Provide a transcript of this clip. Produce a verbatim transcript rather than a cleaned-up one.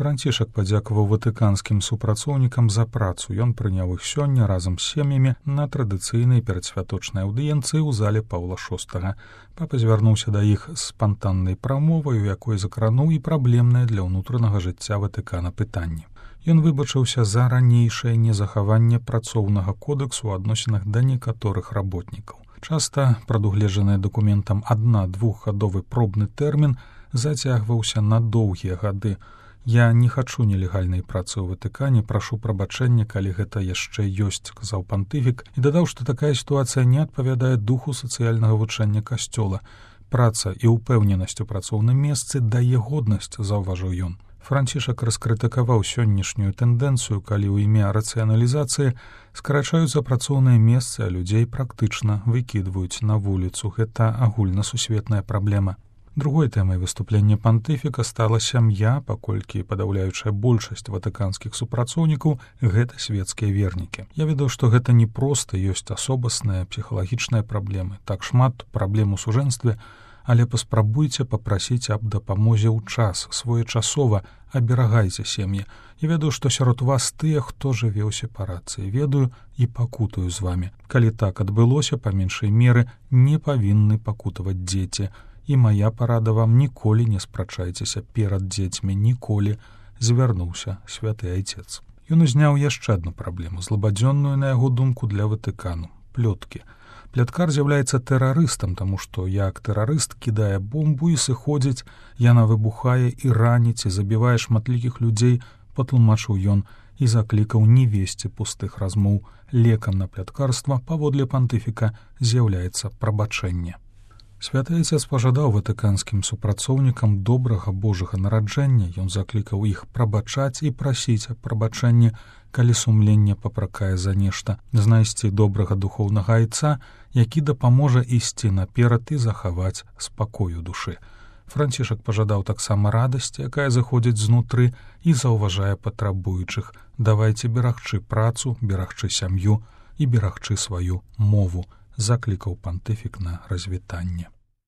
Францішак падзякаваў ватыканскім супрацоўнікам за працу. Ён прыняў іх сёння разам з сем'ямі на традыцыйнай перадсвяточнай аўдыенцыі ў зале Паўла шостага. Папа звярнуўся да іх з спантаннай прамовай, у якой закрануў і праблемнае для ўнутранага жыцця Ватыкана пытанні. Ён выбачыўся за ранейшае незахаванне працоўнага кодэксу ў адносінах да некаторых работнікаў. Часта прадугледжаны дакументам адна-двухгадовы пробны тэрмін зацягваўся на доўгія гады. «Я не хачу нелегальнай працы ў Ватыкане, прашу прабачэння, калі гэта яшчэ ёсць», — казаў пантыфік, і дадаў, што такая сітуацыя не адпавядае духу сацыяльнага вучэння касцёла. «Праца і ўпэўненасць у працоўным месцы дае годнасць», — заўважыў ён. Францішак раскрытыкаваў сённяшнюю тэндэнцыю, калі ў імя рацыяналізацыі скарачаюцца працоўныя месцы, а людзей практычна выкідваюць на вуліцу. Гэта агульнасусветная праблема. Другой тэмай выступлення пантыфіка стала сям'я, паколькі падаўляючая большасць ватыканскіх супрацоўнікаў гэта светскія вернікі. Я ведаў, што гэта не проста, ёсць асобасныя псіхалагічныя праблемы, так шмат праблем у сужэнстве, але паспрабуйце папрасіць аб дапамозе ў час, своечасова аберагайце сем'і. Я ведаю, што сярод вас тыя, хто жыве ў сепарацыі, ведаю і пакутаю з вамі. Калі так адбылося, па меншай меры не павінны пакутаваць дзеці. І мая парада вам: ніколі не спрачайцеся перад дзецьмі, ніколі, звярнуўся святы айцец. Ён узняў яшчэ адну праблему, злабадзённую, на яго думку, для Ватыкану — плёткі. Пляткар з'яўляецца тэрарыстам, таму што як тэрарыст кідае бомбу і сыходзіць, яна выбухае і раніць, і забівае шматлікіх людзей, патлумачыў ён і заклікаў не весці пустых размоў. Лекам на пляткарства, паводле пантыфіка, з'яўляецца прабачэнне. Святы айцец пажадаў ватыканскім супрацоўнікам добрага Божага нараджэння. Ён заклікаў іх прабачаць і прасіць аб прабачэнні, калі сумленне папракае за нешта, знайсці добрага духоўнага айца, які дапаможа ісці наперад і захаваць спакою душы. Францішак пажадаў таксама радасці, якая заходзіць знутры і заўважае патрабуючых. Давайце берагчы працу, берагчы сям'ю і берагчы сваю мову, заклікаў пантыфік на развітанне.